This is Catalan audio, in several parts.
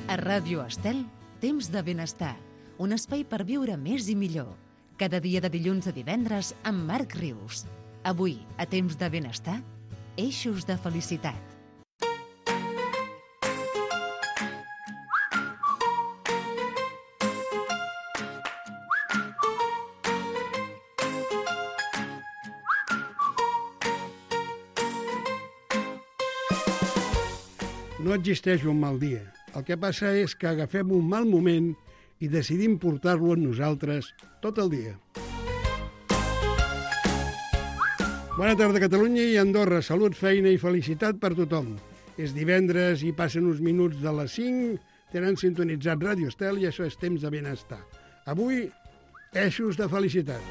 A Ràdio Estel, Temps de Benestar, un espai per viure més i millor. Cada dia de dilluns a divendres amb Marc Rius. Avui, a Temps de Benestar, eixos de felicitat. No existeix un mal dia. El que passa és que agafem un mal moment i decidim portar-lo amb nosaltres tot el dia. Bona tarda, Catalunya i Andorra. Salut, feina i felicitat per tothom. És divendres i passen uns minuts de les 5. Tenen sintonitzat Ràdio Estel i això és Temps de Benestar. Avui, eixos de felicitat.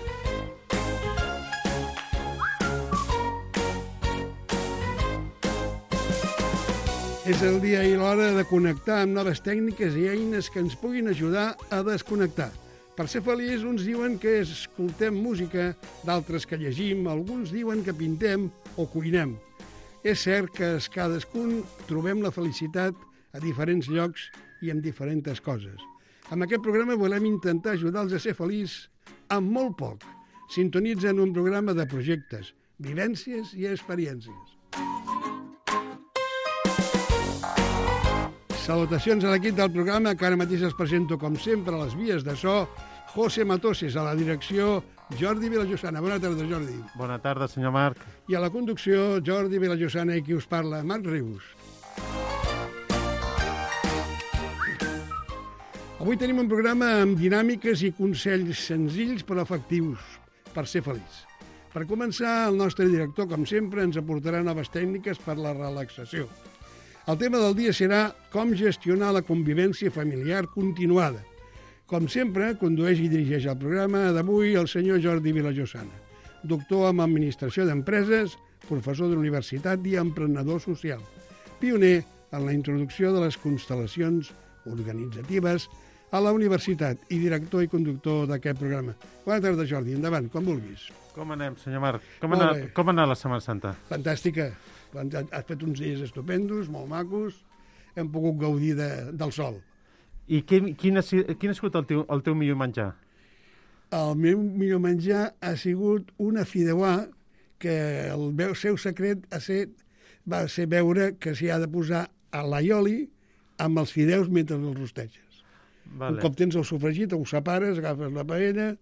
És el dia i l'hora de connectar amb noves tècniques i eines que ens puguin ajudar a desconnectar. Per ser feliç, uns diuen que escoltem música, d'altres que llegim, alguns diuen que pintem o cuinem. És cert que cadascun trobem la felicitat a diferents llocs i amb diferents coses. Amb aquest programa volem intentar ajudar-los a ser feliç amb molt poc. Sintonitzen un programa de projectes, vivències i experiències. Salutacions a l'equip del programa, que ara mateix es presento, com sempre, a les vies de so, José Matoses, a la direcció, Jordi Vilajosana. Bona tarda, Jordi. Bona tarda, senyor Marc. I a la conducció, Jordi Vilajosana i qui us parla, Marc Rius. Avui tenim un programa amb dinàmiques i consells senzills però efectius per ser feliç. Per començar, el nostre director, com sempre, ens aportarà noves tècniques per la relaxació. El tema del dia serà com gestionar la convivència familiar continuada. Com sempre, condueix i dirigeix el programa d'avui el senyor Jordi Vilajosana, doctor en Administració d'Empreses, professor d'universitat i emprenedor social, pioner en la introducció de les constel·lacions organitzatives a la universitat i director i conductor d'aquest programa. Bona tarda, Jordi. Endavant, com vulguis. Com anem, senyor Marc? Com ha anat la Setmana Santa? Fantàstica. Has fet uns dies estupendos, molt macos. Hem pogut gaudir del sol. I quin ha sigut el teu millor menjar? El meu millor menjar ha sigut una fideuà que el seu secret va ser veure que s'hi ha de posar l'aioli amb els fideus mentre els rosteges. Vale. Un cop tens el sofregit, ho separes, agafes la paella,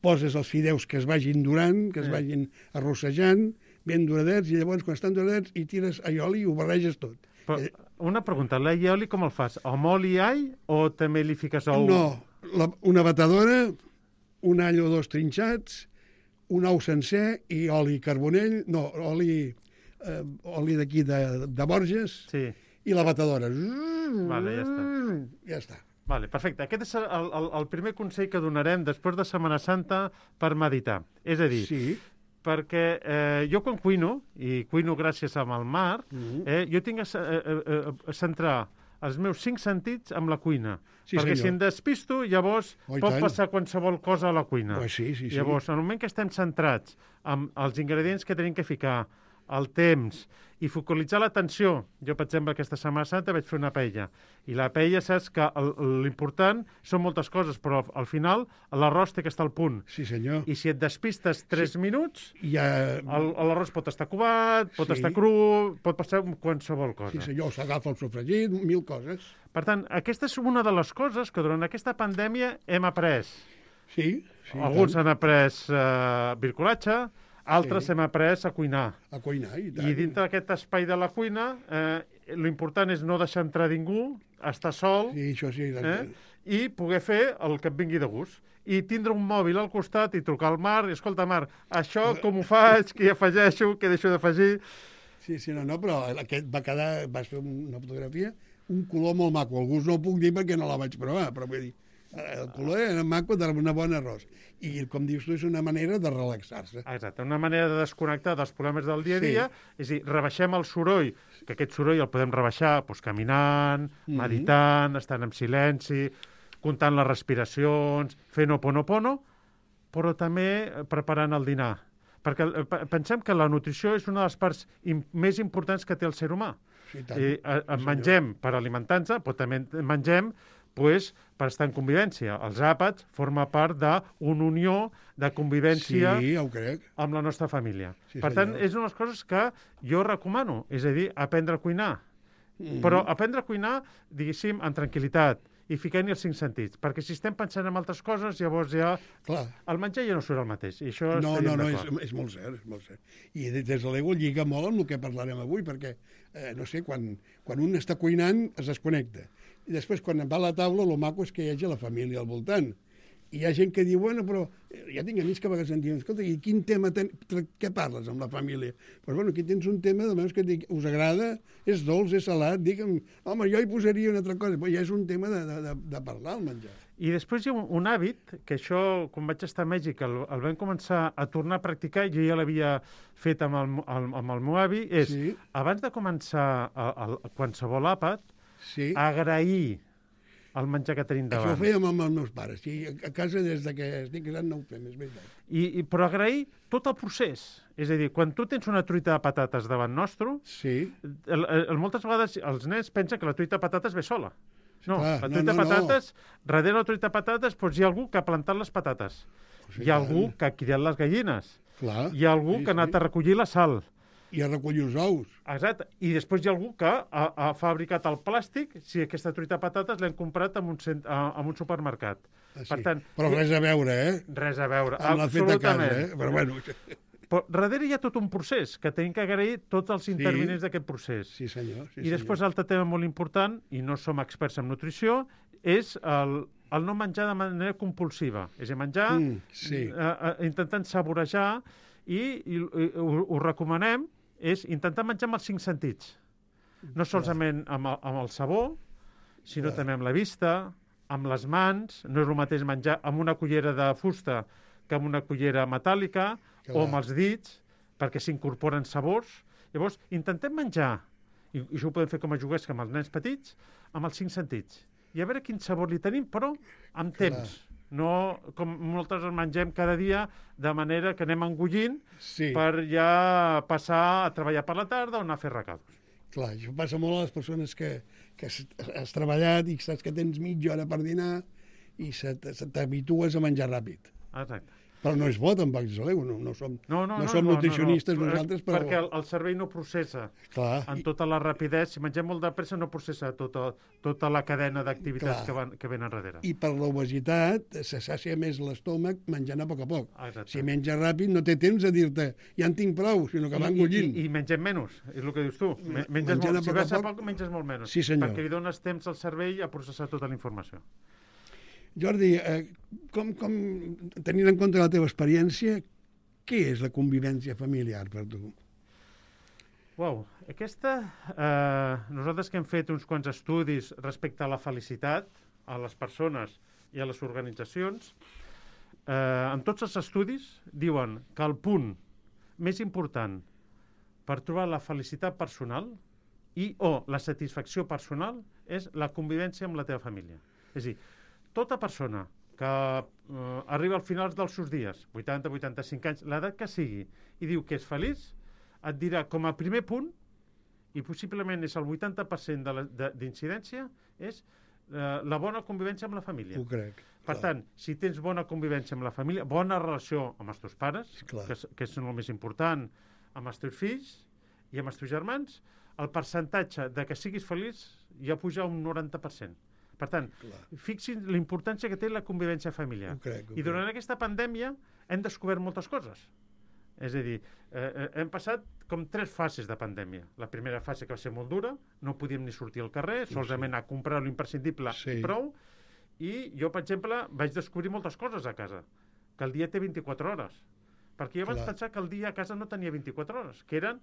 poses els fideus que es vagin durant, que es vagin arrossejant, ben doradets, i llavors quan estan doradets hi tires aioli i ho barreges tot. Però, una pregunta, l'aioli com el fas? Amb oli i all o també li fiques ou? No, una batedora, un all o dos trinxats, un ou sencer i oli carbonell, no, oli d'aquí de Borges, sí. I la batedora. Vale, ja està. Ja està. Vale, perfecte. Aquest és el primer consell que donarem després de Setmana Santa per meditar. És a dir, sí. Perquè jo quan cuino, i cuino gràcies al Marc, jo tinc a centrar els meus 5 sentits amb la cuina. Sí, perquè senyor. Si em despisto, llavors pot passar qualsevol cosa a la cuina. Sí. Llavors, en el moment que estem centrats amb els ingredients que tenim que ficar, el temps i focalitzar l'atenció. Jo, per exemple, aquesta Setmana Santa vaig fer una paella. I la paella, saps que l'important són moltes coses, però al final l'arròs té que estar al punt. Sí, senyor. I si et despistes 3 minuts, l'arròs pot estar covat, pot estar cru, pot passar qualsevol cosa. Sí, senyor, s'agafa el sofregit, 1000 coses. Per tant, aquesta és una de les coses que durant aquesta pandèmia hem après. Sí. Alguns han après bricolatge, altres hem après a cuinar. A cuinar, i tant. I dintre d'aquest espai de la cuina, l'important és no deixar entrar ningú, estar sol, això sí, i poder fer el que et vingui de gust. I tindre un mòbil al costat i trucar al Marc, i escolta, Marc, això com ho faig, què afegeixo, què deixo d'afegir... Sí, no, però aquest vas fer una fotografia, un color molt maco. Alguns no ho puc dir perquè no la vaig provar, però vull dir, el color era maco d'una bona arròs. I, com dius tu, és una manera de relaxar-se. Exacte, una manera de desconnectar dels problemes del dia a dia. És a dir, rebaixem el soroll, que aquest soroll el podem rebaixar caminant, meditant, estant en silenci, comptant les respiracions, fent oponopono, però també preparant el dinar. Perquè pensem que la nutrició és una de les parts més importants que té el ser humà. Mengem per alimentar-nos, però també mengem per estar en convivència. Els àpats formen part d'una unió de convivència amb la nostra família. Per tant, és una de les coses que jo recomano, és a dir, aprendre a cuinar. Però aprendre a cuinar, diguéssim, en tranquil·litat, i ficar-hi els 5 sentits, perquè si estem pensant en altres coses, llavors ja... El menjar ja no surt el mateix, i això estaríem d'acord. És molt cert, és molt cert. I des de l'ego lliga molt amb el que parlarem avui, perquè, no sé, quan un està cuinant es desconnecta. I després, quan va a la taula, el maco és que hi hagi la família al voltant. I hi ha gent que diu, bueno, però ja tinc amics que a vegades em diuen, escolta, i quin tema, què parles amb la família? Doncs, bueno, aquí tens un tema, almenys que us agrada, és dolç, és salat, digue'm, home, jo hi posaria una altra cosa, però ja és un tema de parlar, el menjar. I després hi ha un hàbit, que això, quan vaig estar a Mèxic, el vam començar a tornar a practicar, jo ja l'havia fet amb el meu avi, és, abans de començar qualsevol àpat, agrair el menjar que tenim davant. Això ho fèiem amb els meus pares. I a casa, des que estic casat, no ho fem, és veritat. Però agrair tot el procés. És a dir, quan tu tens una truita de patates davant nostre, moltes vegades els nens pensen que la truita de patates ve sola. No, la truita de patates, darrere la truita de patates, hi ha algú que ha plantat les patates. Hi ha algú que ha criat les gallines. Hi ha algú que ha anat a recollir la sal. I a recollir els ous. Exacte. I després hi ha algú que ha fabricat el plàstic, si aquesta truita de patates l'hem comprat en un supermercat. Per tant, però res a veure, Res a veure, amb la feta a casa, Però bueno... Però darrere hi ha tot un procés, que tenim que agrair tots els intervinents d'aquest procés. Sí, senyor. I després, altre tema molt important, i no som experts en nutrició, és el no menjar de manera compulsiva. És a dir, menjar intentant saborejar, i ho recomanem, és intentar menjar amb els 5 sentits. No solament amb el sabor, sinó també amb la vista, amb les mans. No és el mateix menjar amb una cullera de fusta que amb una cullera metàl·lica, o amb els dits, perquè s'incorporen sabors. Llavors, intentem menjar, i això ho podem fer com a joguers, amb els nens petits, amb els 5 sentits. I a veure quin sabor li tenim, però amb temps. No com moltes els mengem cada dia, de manera que anem engullint per ja passar a treballar per la tarda o anar a fer recados. Clar, això passa molt a les persones que has treballat i saps que tens mitja hora per dinar i t'habitues a menjar ràpid. Exacte. Però no és bo, tampoc, no som nutricionistes nosaltres, però... Perquè el cervell no processa en tota la rapidesa. Si mengem molt de pressa, no processa tota la cadena d'activitats que venen darrere. I per l'obesitat se sàcia més l'estómac menjant a poc a poc. Si menja ràpid, no té temps de dir-te ja en tinc prou, sinó que va engullint. I mengem menys, és el que dius tu. Si vas a poc, menges molt menys. Sí, senyor. Perquè li dones temps al cervell a processar tota la informació. Jordi, tenint en compte la teva experiència, què és la convivència familiar per tu? Aquesta... nosaltres que hem fet uns quants estudis respecte a la felicitat, a les persones i a les organitzacions, en tots els estudis diuen que el punt més important per trobar la felicitat personal o la satisfacció personal és la convivència amb la teva família. És a dir, tota persona que arriba al final dels seus dies, 80, 85 anys, l'edat que sigui, i diu que és feliç, et dirà com a primer punt, i possiblement és el 80% d'incidència, és la bona convivència amb la família. Ho crec. Per tant, si tens bona convivència amb la família, bona relació amb els teus pares, que és el més important, amb els teus fills i amb els teus germans, el percentatge de que siguis feliç ja puja un 90%. Per tant, fixin la importància que té la convivència familiar. I durant aquesta pandèmia hem descobert moltes coses. És a dir, hem passat com 3 fases de pandèmia. La primera fase que va ser molt dura, no podíem ni sortir al carrer, solament anar a comprar l'imprescindible i prou, i jo, per exemple, vaig descobrir moltes coses a casa, que el dia té 24 hores. Perquè jo vaig pensar que el dia a casa no tenia 24 hores, que eren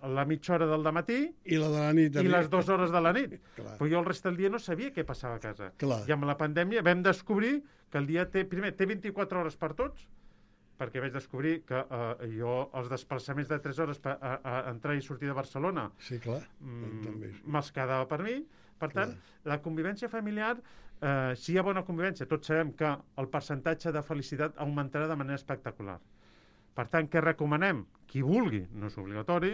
la mitja hora del dematí i la de la nit i les 2 hores de la nit. Però jo el rest del dia no sabia què passava a casa. I amb la pandèmia vam descobrir que el dia té 24 hores per tots, perquè vaig descobrir que jo els desplaçaments de 3 hores per entrar i sortir de Barcelona me'ls quedava per mi. Per tant, la convivència familiar, si hi ha bona convivència, tots sabem que el percentatge de felicitat augmentarà de manera espectacular. Per tant, què recomanem? Qui vulgui, no és obligatori,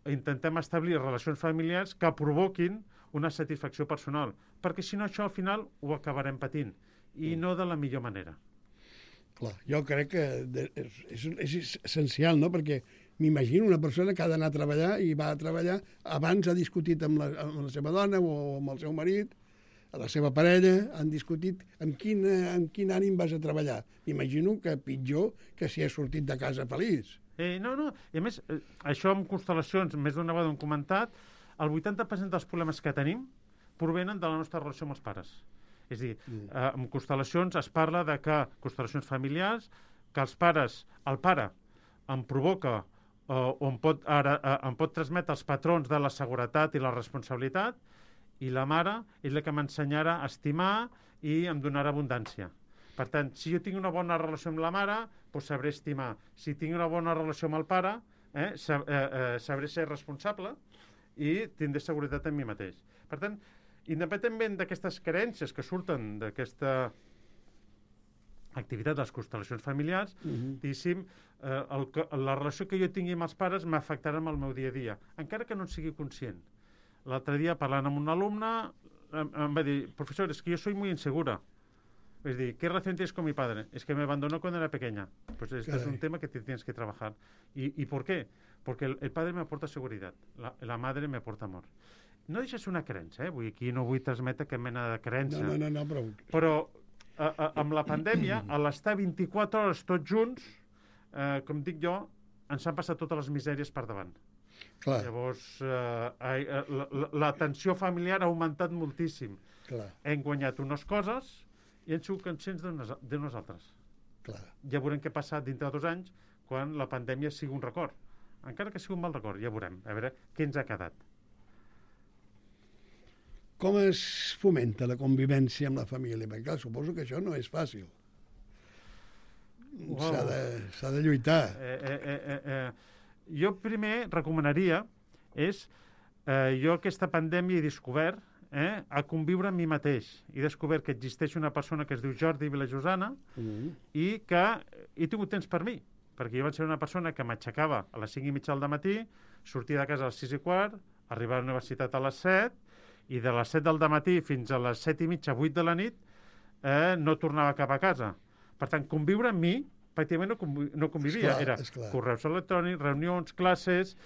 intentem establir relacions familiars que provoquin una satisfacció personal, perquè si no això al final ho acabarem patint, i no de la millor manera. Clar, jo crec que és essencial, no?, perquè m'imagino una persona que ha d'anar a treballar i va a treballar, abans ha discutit amb la seva dona o amb el seu marit, a la seva parella, han discutit amb quin ànim vas a treballar. M'imagino que pitjor que si has sortit de casa feliç. No, i a més, això amb constel·lacions, més d'una vegada ho hem comentat, el 80% dels problemes que tenim provenen de la nostra relació amb els pares. És a dir, amb constel·lacions es parla de que, constel·lacions familiars, que el pare em provoca o em pot transmetre els patrons de la seguretat i la responsabilitat, i la mare és la que m'ensenyarà a estimar i em donarà abundància. Per tant, si jo tinc una bona relació amb la mare, doncs sabré estimar. Si tinc una bona relació amb el pare, sabré ser responsable i tindré seguretat en mi mateix. Per tant, independentment d'aquestes creences que surten d'aquesta activitat de les constel·lacions familiars, diguéssim, la relació que jo tingui amb els pares m'afectarà en el meu dia a dia, encara que no en sigui conscient. L'altre dia, parlant amb un alumne, em va dir, profesor, es que yo soy muy insegura. Es decir, ¿qué relación tienes con mi padre? Es que me abandonó cuando era pequeña. Pues este es un tema que tienes que trabajar. ¿Y por qué? Porque el padre me aporta seguridad, la madre me aporta amor. No deixa ser una creença, aquí no vull transmetre cap mena de creença. No, però amb la pandèmia, a l'estar 24 hores tots junts, com dic jo, ens han passat totes les misèries per davant. Clar. Llavors, la tensió familiar ha augmentat moltíssim. Clar. Hem guanyat unes coses i hem sigut conscients d'unes altres. Clar. Ja veurem què passa dintre de 2 anys quan la pandèmia sigui un record. Encara que sigui un mal record, ja veurem. A veure què ens ha quedat. Com es fomenta la convivència amb la família? Perquè, clar, suposo que això no és fàcil. Wow. S'ha de lluitar. Jo primer recomanaria jo aquesta pandèmia he descobert a conviure amb mi mateix. He descobert que existeix una persona que es diu Jordi Vilajosana i que he tingut temps per mi, perquè jo vaig ser una persona que m'aixecava a les 5:30 del matí, sortia de casa a les 6:15, arribava a la universitat a les 7 i de les 7 del matí fins a les 7:30, 8 de la nit no tornava cap a casa. Per tant, conviure amb mi pràcticament no convivia. Era correus electrònics, reunions, classes,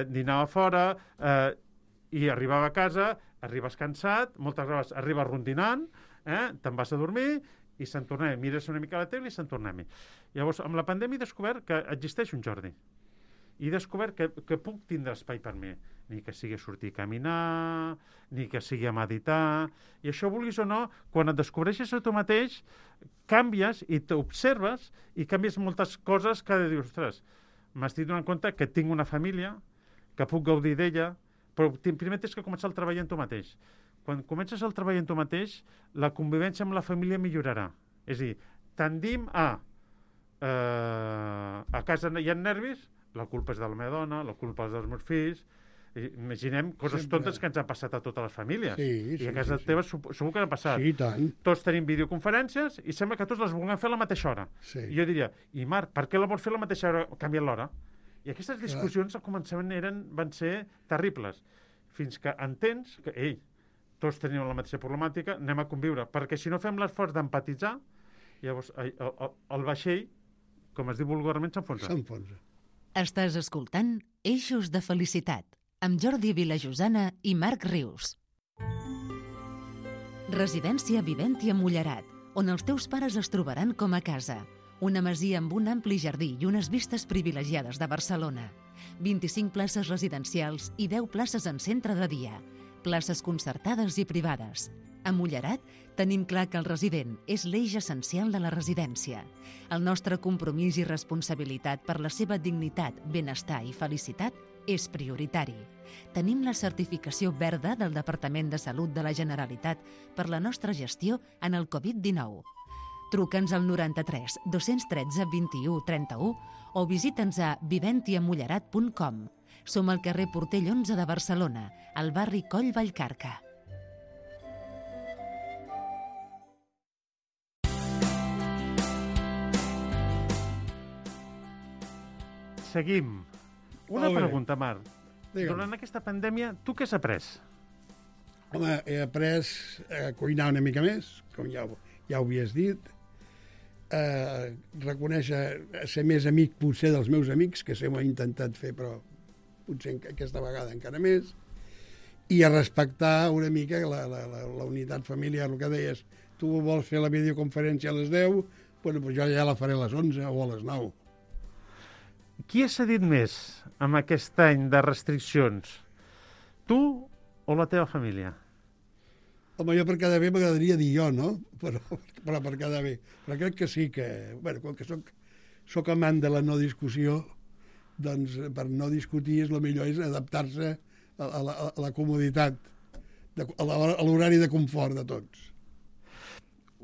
dinava fora, i arribava a casa, arribes cansat, moltes vegades arribes rondinant, te'n vas a dormir i se'n tornem. Mires una mica a la tele i se'n tornem. Llavors, amb la pandèmia he descobert que existeix un Jordi. I he descobert que puc tindre espai per mi. Ni que sigui a sortir a caminar, ni que sigui a meditar. I això, vulguis o no, quan et descobreixes a tu mateix, canvies i t'observes i canvies moltes coses que dius, ostres, m'estic donant compte que tinc una família, que puc gaudir d'ella, però primer tens que començar el treball en tu mateix. Quan comences el treball en tu mateix, la convivència amb la família millorarà. És a dir, tendim a casa hi ha nervis, la culpa és de la meva dona, la culpa és dels meus fills. Imaginem coses tontes que ens han passat a totes les famílies. I a casa teva segur que han passat. Sí, tant. Tots tenim videoconferències i sembla que tots les vulguem fer a la mateixa hora. I jo diria, i Marc, per què la vols fer a la mateixa hora? Canvia't l'hora. I aquestes discussions al començament van ser terribles. Fins que entens que, tots tenim la mateixa problemàtica, anem a conviure. Perquè si no fem l'esforç d'empatitzar, llavors el vaixell, com es diu vulgarment, s'enfonsa. Estàs escoltant Eixos de Felicitat, amb Jordi Vilajosana i Marc Rius. Residència Viventi a Mullerat, on els teus pares es trobaran com a casa. Una masia amb un ampli jardí i unes vistes privilegiades de Barcelona. 25 places residencials i 10 places en centre de dia. Places concertades i privades. A Mullerat tenim clar que el resident és l'eix essencial de la residència. El nostre compromís i responsabilitat per la seva dignitat, benestar i felicitat és prioritari. Tenim la certificació verda del Departament de Salut de la Generalitat per la nostra gestió en el Covid-19. Truca'ns al 93 213 21 31 o visita'ns a viventiamullerat.com. Som al carrer Portell 11 de Barcelona, al barri Coll Vallcarca. Seguim. Una pregunta, Marc. Durant aquesta pandèmia, tu què has après? Home, he après a cuinar una mica més, com ja ho havies dit, reconèixer, ser més amic potser dels meus amics, que sempre ho he intentat fer, però potser aquesta vegada encara més, i a respectar una mica la unitat familiar, el que deies, tu vols fer la videoconferència a les 10, bueno, doncs jo ja la faré a les 11 o a les 9. Qui ha cedit més amb aquest any de restriccions? Tu o la teva família? Home, jo per cada bé m'agradaria dir jo, no? Però per cada bé. Però crec que sí que... Bueno, com que soc amant de la no discussió, doncs per no discutir el millor és adaptar-se a la comoditat, a l'horari de confort de tots.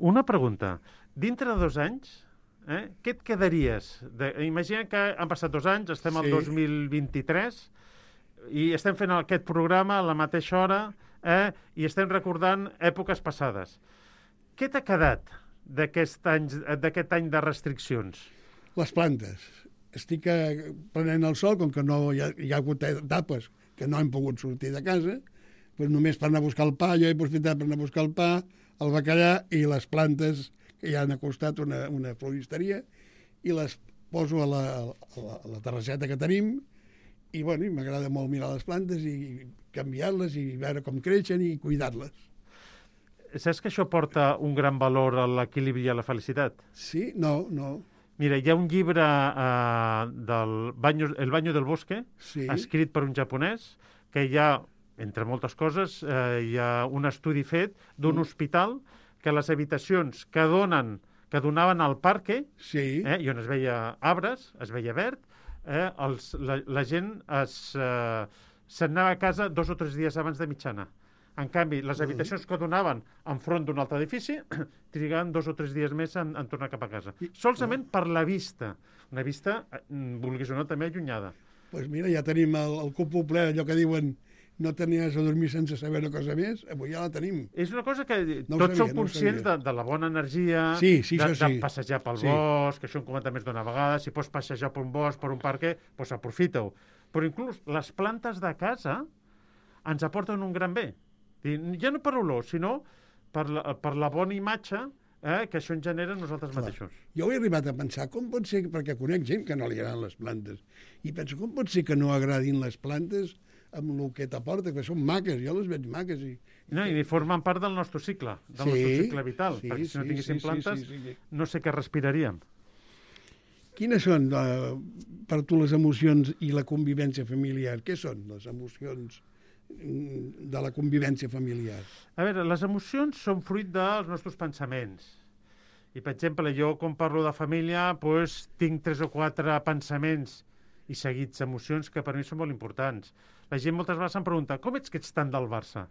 Una pregunta. Dintre de 2 anys, què et quedaries? Imagina que han passat 2 anys, estem al 2023, i estem fent aquest programa a la mateixa hora, i estem recordant èpoques passades. Què t'ha quedat d'aquest any de restriccions? Les plantes. Estic prenent el sol, com que no hi ha hagut etapes que no hem pogut sortir de casa, doncs només per anar a buscar el pa, jo he aprofitat per anar a buscar el pa, el bacallà i les plantes que ja han acostat una floristeria, i les poso a la terrasseta que tenim, i bueno, m'agrada molt mirar les plantes i canviar-les i veure com creixen i cuidar-les. Saps que això porta un gran valor a l'equilibri i a la felicitat? Sí? No. Mira, hi ha un llibre El baño del bosque, escrit per un japonès, que hi ha, entre moltes coses, hi ha un estudi fet d'un hospital que les habitacions que donaven al parque, i on es veia arbres, es veia verd, la gent se'n anava a casa 2 o 3 dies abans de mitjana. En canvi, les habitacions que donaven enfront d'un altre edifici trigaven 2 o 3 dies més en tornar cap a casa. Solament per la vista. Una vista, vulguis o no, també allunyada. Doncs mira, ja tenim el cupo ple, allò que diuen no tenies a dormir sense saber una cosa més, avui ja la tenim. És una cosa que tots som conscients de la bona energia, de passejar pel bosc, això hem comentat més d'una vegada, si pots passejar per un bosc, per un parc, doncs aprofita-ho. Però inclús les plantes de casa ens aporten un gran bé. Ja no per olor, sinó per la bona imatge que això en genera nosaltres mateixos. Jo he arribat a pensar, com pot ser, perquè conec gent que no li agraden les plantes, i penso, com pot ser que no agradin les plantes amb el que t'aporta, que són maques, jo les veig maques. I formen part del nostre cicle, del nostre cicle vital, perquè si no tinguéssim plantes no sé què respiraríem. Quines són per tu les emocions i la convivència familiar? Què són les emocions de la convivència familiar? A veure, les emocions són fruit dels nostres pensaments. I, per exemple, jo, quan parlo de família, tinc 3 o 4 pensaments i seguits emocions que per mi són molt importants. La gent moltes vegades em pregunta, com ets que ets tant del Barça?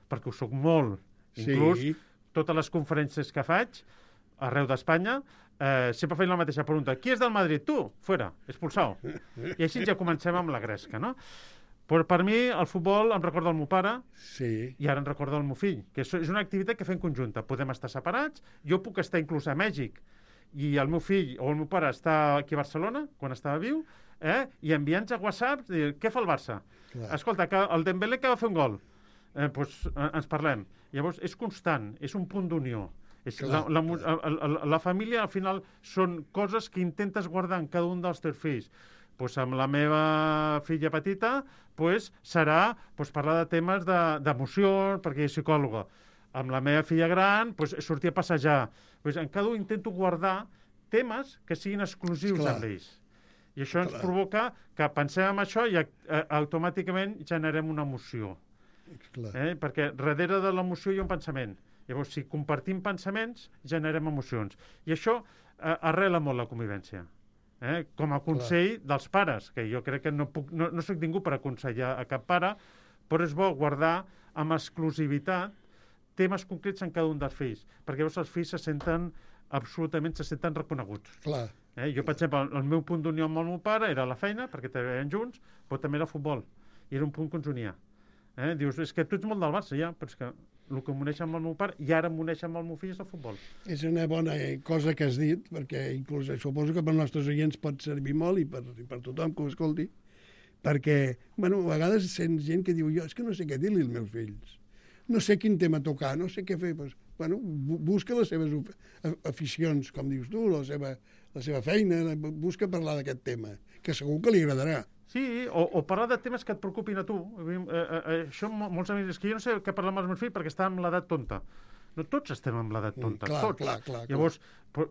Perquè ho soc molt. Inclús totes les conferències que faig arreu d'Espanya sempre feien la mateixa pregunta. Qui és del Madrid? Tu? Fuera, expulsado. I així ja comencem amb la gresca, no? Però per mi el futbol em recorda el meu pare i ara em recorda el meu fill, que és una activitat que fem conjunta. Podem estar separats, jo puc estar inclús a Mèxic i el meu fill o el meu pare està aquí a Barcelona, quan estava viu, i enviant-nos a WhatsApp, què fa el Barça? Escolta, que el Dembélé que va fer un gol. Ens parlem. Llavors, és constant, és un punt d'unió. La família, al final, són coses que intentes guardar en cada un dels teus fills. Amb la meva filla petita serà parlar de temes d'emocions, perquè és psicòloga. Amb la meva filla gran, sortir a passejar. En cada un intento guardar temes que siguin exclusius amb ells. I això ens provoca que pensem en això i automàticament generem una emoció. Perquè darrere de l'emoció hi ha un pensament. Llavors, si compartim pensaments, generem emocions. I això arrela molt la convivència. Com a consell dels pares, que jo crec que no soc ningú per aconsellar a cap pare, però és bo guardar amb exclusivitat temes concrets en cada un dels fills, perquè llavors els fills se senten reconeguts. Jo, per exemple, el meu punt d'unió amb el meu pare era la feina, perquè treballen junts, però també era el futbol, i era un punt que ens unia. Dius, és que tu ets molt del Barça, ja, però és que el que m'uneix amb el meu pare i ara m'uneix amb el meu fill és el futbol. És una bona cosa que has dit, perquè inclús suposo que per als nostres oients pot servir molt i per tothom que ho escolti, perquè, bueno, a vegades sents gent que diu, jo és que no sé què dir-li als meus fills, no sé quin tema tocar, no sé què fer, doncs, bueno, busca les seves aficions, com dius tu, la seva feina, busca parlar d'aquest tema, que segur que li agradarà. Sí, o parlar de temes que et preocupin a tu. Això, molts amics, és que jo no sé què parlar amb els meus fills perquè estan amb l'edat tonta. No, tots estem amb l'edat tonta, tots. Clar. Llavors,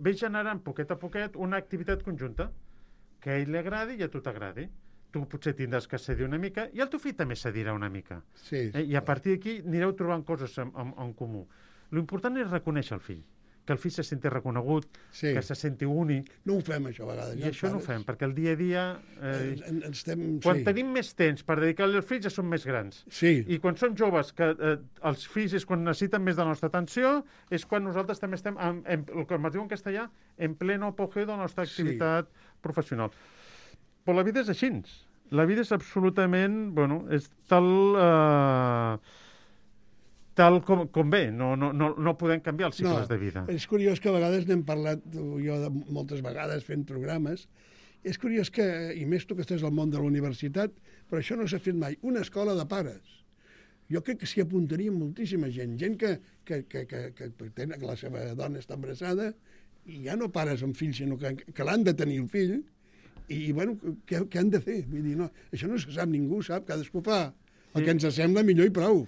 ves generant poquet a poquet una activitat conjunta que a ell li agradi i a tu t'agradi. Tu potser tindràs que cedir una mica i el teu fill també cedirà una mica. Sí. I a partir d'aquí anireu trobant coses en comú. L'important és reconèixer el fill, que el fill se senti reconegut, que se senti únic. No ho fem, això, a vegades. I això no ho fem, perquè el dia a dia... Quan tenim més temps per dedicar-li als fills ja som més grans. Sí. I quan som joves, que els fills és quan necessiten més de la nostra atenció, és quan nosaltres també estem, el que es diu en castellà, en pleno apogeu de la nostra activitat professional. Però la vida és així. La vida és absolutament... Bueno, és tal com ve, no podem canviar els cicles de vida. És curiós que a vegades n'hem parlat, jo moltes vegades fent programes, és curiós que, i més tu que estàs al món de la universitat, però això no s'ha fet mai, una escola de pares. Jo crec que s'hi apuntaria moltíssima gent que la seva dona està embarassada i ja no pares amb fills, sinó que l'han de tenir el fill, i bueno, què han de fer? Vull dir, no, això no se sap, ningú sap, cadascú fa el que ens sembla millor i prou.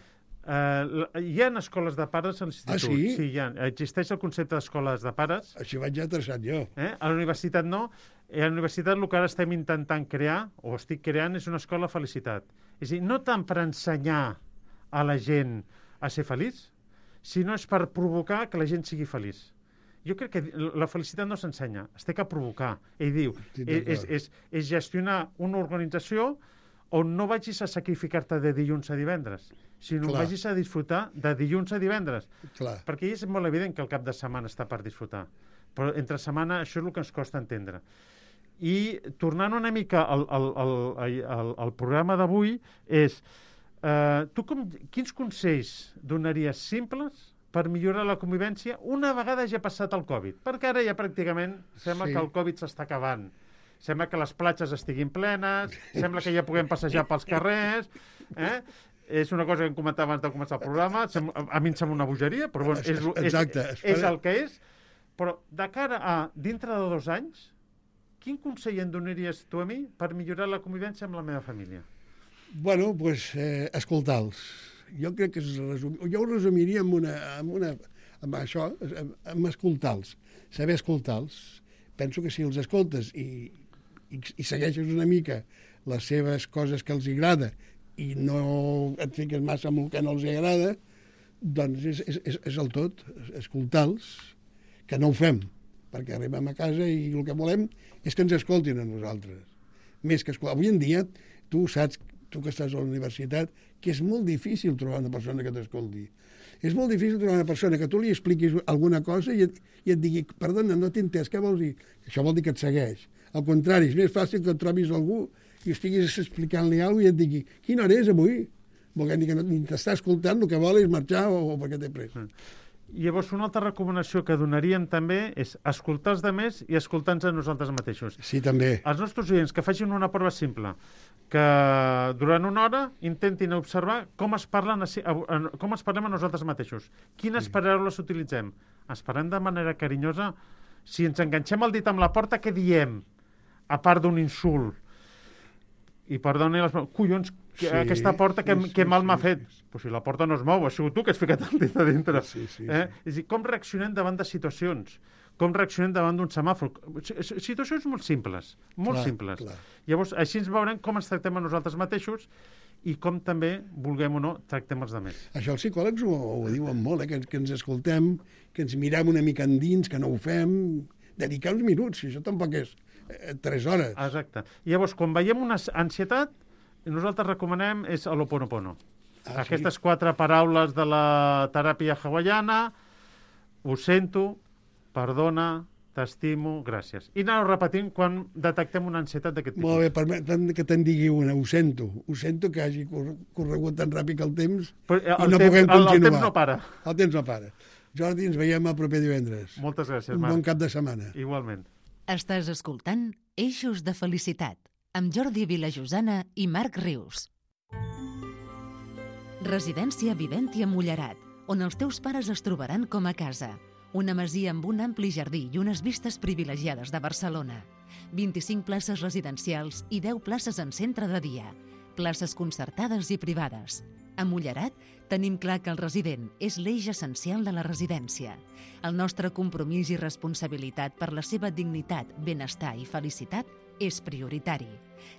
Hi ha escoles de pares a l'institut. Ah, sí? Sí, existeix el concepte d'escoles de pares. Així vaig atreçat jo. A la universitat no. A la universitat el que ara estem intentant crear, o estic creant, és una escola de felicitat. És a dir, no tant per ensenyar a la gent a ser feliç, sinó és per provocar que la gent sigui feliç. Jo crec que la felicitat no s'ensenya, es té que provocar. Ell diu, és gestionar una organització on no vagis a sacrificar-te de dilluns a divendres, sinó vagis a disfrutar de dilluns a divendres. Clar. Perquè és molt evident que el cap de setmana està per disfrutar. Però entre setmana això és el que ens costa entendre. I tornant una mica al programa d'avui és, tu quins consells donaries simples per millorar la convivència una vegada ja ha passat el Covid? Perquè ara ja pràcticament sembla que el Covid s'està acabant. Sembla que les platges estiguin plenes, sembla que ja puguem passejar pels carrers, És una cosa que em comentava abans de començar el programa, a mi em sembla una bogeria, però bueno, és el que és. Però de cara a dintre de 2 anys, quin consell em donaries tu a mi per millorar la convivència amb la meva família? Bueno, doncs escoltar-los. Jo crec que jo ho resumiria amb això, amb escoltar-los, saber escoltar-los. Penso que si els escoltes i segueixes una mica les seves coses que els agrada i no et fiques massa amb el que no els agrada, doncs és el tot, escoltar-los, que no ho fem, perquè arribem a casa i el que volem és que ens escoltin a nosaltres. Més que escoltar. Avui en dia, tu saps, tu que estàs a la universitat, que és molt difícil trobar una persona que t'escolti. És molt difícil trobar una persona que tu li expliquis alguna cosa i et digui, perdona, no t'he entès, què vols dir? Això vol dir que et segueix. Al contrari, és més fàcil que et trobis algú i estiguis explicant-li alguna cosa i et digui, quina hora és avui? Vol dir que ni t'està escoltant, el que vol és marxar o perquè té pressa. Llavors, una altra recomanació que donaríem també és escoltar els altres i escoltar-nos a nosaltres mateixos. Sí, també. Els nostres oients que facin una prova simple, que durant una hora intentin observar com es parlem a nosaltres mateixos. Quines paraules utilitzem? Es parlem de manera carinyosa? Si ens enganxem el dit amb la porta, què diem? A part d'un insult. I perdoni, collons, aquesta porta que mal m'ha fet. Però si la porta no es mou, ha sigut tu que has ficat el dit a dintre. És a dir, com reaccionem davant de situacions? Com reaccionem davant d'un semàfor? Situacions molt simples, molt simples. Llavors, així ens veurem com ens tractem a nosaltres mateixos i com també, vulguem o no, tractem els altres. Això els psicòlegs ho diuen molt, que ens escoltem, que ens mirem una mica endins, que no ho fem, dedicar uns minuts, si això tampoc és 3 hores. Exacte. Llavors, quan veiem una ansietat, nosaltres recomanem és l'Ho'oponopono. Aquestes 4 paraules de la teràpia hawaiana: ho sento, perdona, t'estimo, gràcies. I anar-ho repetint quan detectem una ansietat d'aquest tipus. Molt bé, permetem que te'n digui una, ho sento que hagi corregut tan ràpid el temps i no puguem continuar. El temps no para. El temps no para. Jordi, ens veiem el proper divendres. Moltes gràcies, Marc. Un bon cap de setmana. Igualment. Estàs escoltant Eixos de Felicitat amb Jordi Vilajosana i Marc Rius. Residència Viventi a Mullerat, on els teus pares es trobaran com a casa. Una masia amb un ampli jardí i unes vistes privilegiades de Barcelona. 25 places residencials i 10 places en centre de dia. Places concertades i privades. A Mullerat tenim clar que el resident és l'eix essencial de la residència. El nostre compromís i responsabilitat per la seva dignitat, benestar i felicitat és prioritari.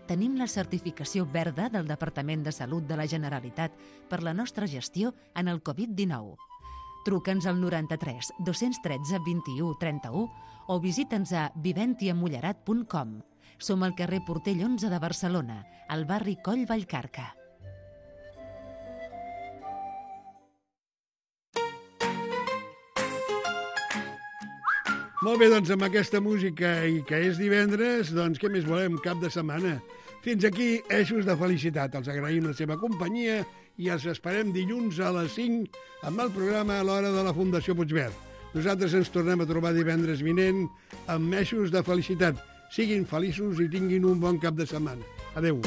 Tenim la certificació verda del Departament de Salut de la Generalitat per la nostra gestió en el Covid-19. Truca'ns al 93 213 21 31 o visita'ns a viventiamullerat.com. Som al carrer Portell 11 de Barcelona, al barri Coll Vallcarca. Molt bé, doncs amb aquesta música i que és divendres, doncs què més volem? Cap de setmana. Fins aquí, Eixos de Felicitat. Els agraïm la seva companyia i els esperem dilluns a les 5 amb el programa a l'hora de la Fundació Puigverd. Nosaltres ens tornem a trobar divendres vinent amb Eixos de Felicitat. Siguin feliços i tinguin un bon cap de setmana. Adéu.